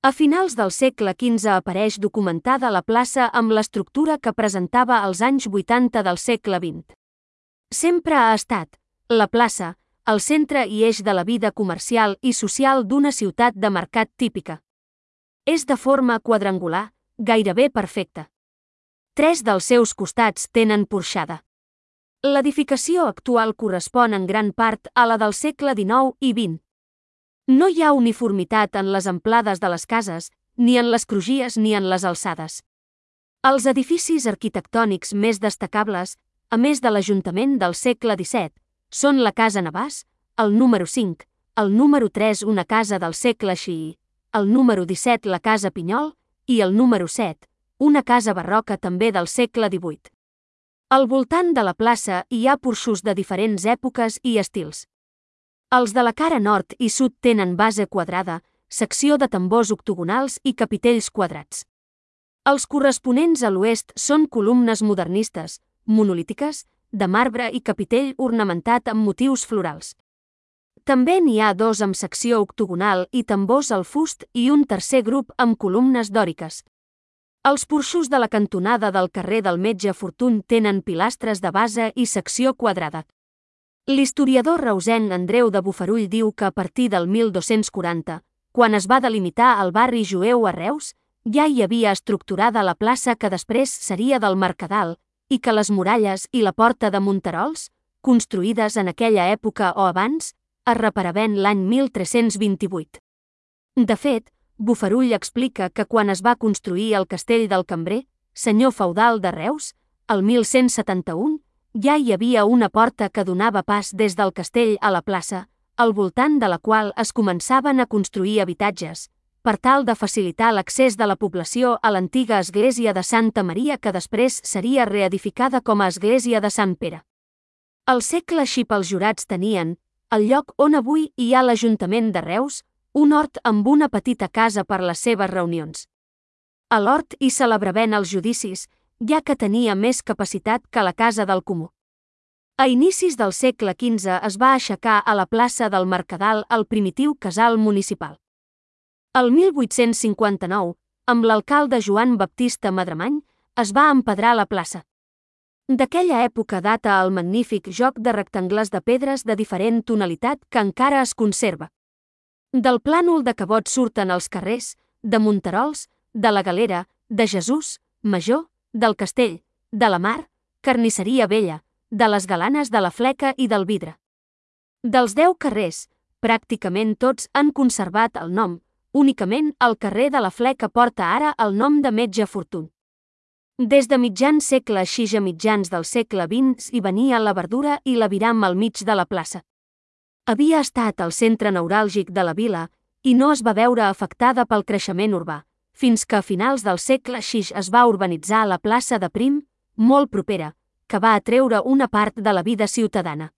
A finals del segle XV apareix documentada la plaça amb l'estructura que presentava als anys 80 del segle XX. Sempre ha estat, la plaça, el centre i eix de la vida comercial i social d'una ciutat de mercat típica. És de forma quadrangular, gairebé perfecta. 3 dels seus costats tenen porxada. L'edificació actual correspon en gran part a la del segle XIX i XX. No hi ha uniformitat en les amplades de les cases, ni en les crugies ni en les alçades. Els edificis arquitectònics més destacables, a més de l'Ajuntament del segle XVII, són la Casa Navàs, el número 5, el número 3 una casa del segle XVI, el número 17 la Casa Pinyol i el número 7, una casa barroca també del segle XVIII. Al voltant de la plaça hi ha porxos de diferents èpoques i estils. Els de la cara nord i sud tenen base quadrada, secció de tambors octogonals i capitells quadrats. Els corresponents a l'oest són columnes modernistes, monolítiques, de marbre i capitell ornamentat amb motius florals. També n'hi ha 2 amb secció octogonal i tambors al fust i un tercer grup amb columnes dòriques. Els porxos de la cantonada del carrer del Metge Fortuny tenen pilastres de base i secció quadrada. L'historiador reusenc Andreu de Bofarull diu que a partir del 1240, quan es va delimitar el barri jueu a Reus, ja hi havia estructurada la plaça que després seria del Mercadal, i que les muralles i la porta de Monterols, construïdes en aquella època o abans, es reparaven l'any 1328. De fet, Bofarull explica que quan es va construir el castell del Cambrer, senyor feudal de Reus, el 1171, ja hi havia una porta que donava pas des del castell a la plaça, al voltant de la qual es començaven a construir habitatges, per tal de facilitar l'accés de la població a l'antiga església de Santa Maria que després seria reedificada com a església de Sant Pere. Al segle XVI els jurats tenien, al lloc on avui hi ha l'Ajuntament de Reus, un hort amb una petita casa per les seves reunions. A l'hort hi celebraven els judicis, ja que tenia més capacitat que la Casa del Comú. A inicis del segle XV es va aixecar a la plaça del Mercadal el primitiu casal municipal. El 1859, amb l'alcalde Joan Baptista Madremany, es va empedrar la plaça. D'aquella època data el magnífic joc de rectangles de pedres de diferent tonalitat que encara es conserva. Del plànol de Cabot surten els carrers, de Monterols, de la Galera, de Jesús, Major, del Castell, de la Mar, Carnisseria Vella, de les Galanes de la Fleca i del Vidre. Dels 10 carrers, pràcticament tots han conservat el nom, únicament el carrer de la Fleca porta ara el nom de Metge Fortuny. Des de mitjan segle XVI a mitjans del segle XX hi venia la verdura i l'aviram al mig de la plaça. Havia estat el centre neuràlgic de la vila i no es va veure afectada pel creixement urbà, fins que a finals del segle XVI es va urbanitzar la plaça de Prim, molt propera, que va atreure una part de la vida ciutadana.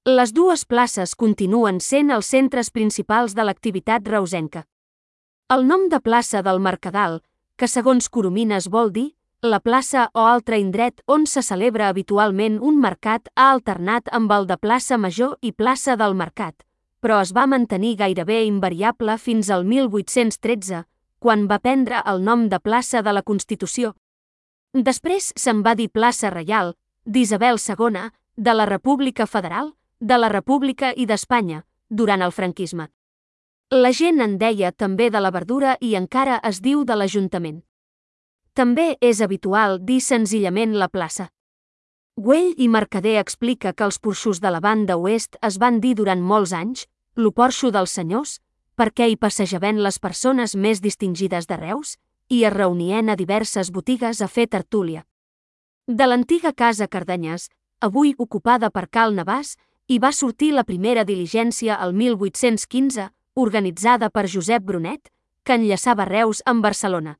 Les 2 places continuen sent els centres principals de l'activitat reusenca. El nom de plaça del Mercadal, que segons Coromines vol dir la plaça o altre indret on se celebra habitualment un mercat, ha alternat amb el de plaça Major i plaça del Mercat, però es va mantenir gairebé invariable fins al 1813, quan va prendre el nom de plaça de la Constitució. Després se'n va dir plaça Reial, d'Isabel II, de la República Federal, de la República i d'Espanya, durant el franquisme. La gent en deia també de la verdura i encara es diu de l'Ajuntament. També és habitual dir senzillament la plaça. Güell i Mercader explica que els porxos de la banda oest es van dir durant molts anys lo porxo dels senyors, perquè hi passejaven les persones més distingides de Reus i es reunien a diverses botigues a fer tertúlia. De l'antiga casa Cardanyes, avui ocupada per Cal Navàs, hi va sortir la primera diligència el 1815, organitzada per Josep Brunet, que enllaçava Reus amb Barcelona.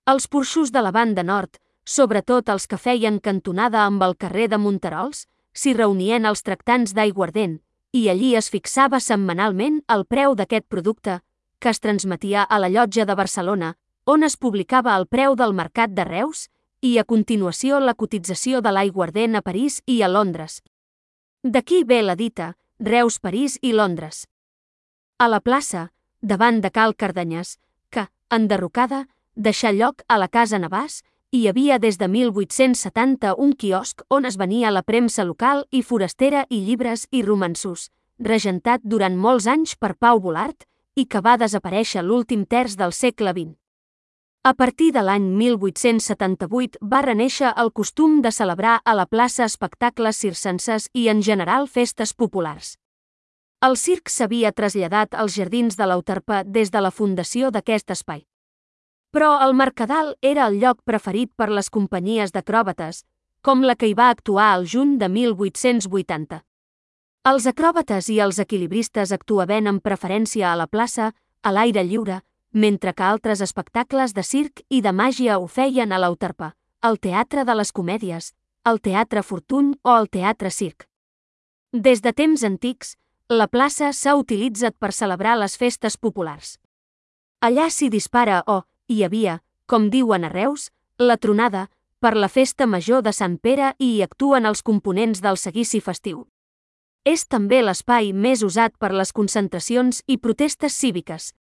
Els porxos de la banda nord, sobretot els que feien cantonada amb el carrer de Monterols, s'hi reunien els tractants d'aiguardent, i allí es fixava setmanalment el preu d'aquest producte, que es transmetia a la Llotja de Barcelona, on es publicava el preu del mercat de Reus, i a continuació la cotització de l'aiguardent a París i a Londres. D'aquí ve la dita Reus, París i Londres. A la plaça, davant de Cal Cardanyes, enderrocada, deixà lloc a la Casa Navàs, i hi havia des de 1870 un quiosc on es venia la premsa local i forastera i llibres i romanços, regentat durant molts anys per Pau Volart i que va desaparèixer l'últim terç del segle XX. A partir de l'any 1878 va renéixer el costum de celebrar a la plaça espectacles circenses i en general festes populars. El circ s'havia traslladat als jardins de l'Euterpe des de la fundació d'aquest espai. Però el Mercadal era el lloc preferit per les companyies d'acròbates, com la que hi va actuar al juny de 1880. Els acròbates i els equilibristes actuaven amb preferència a la plaça, a l'aire lliure, mentre que altres espectacles de circ i de màgia ho feien a l'Euterpe, al Teatre de les Comèdies, al Teatre Fortuny o al Teatre Circ. Des de temps antics, la plaça s'ha utilitzat per celebrar les festes populars. Allà s'hi dispara hi havia, com diuen a Reus, la tronada, per la festa major de Sant Pere i hi actuen els components del seguici festiu. És també l'espai més usat per les concentracions i protestes cíviques,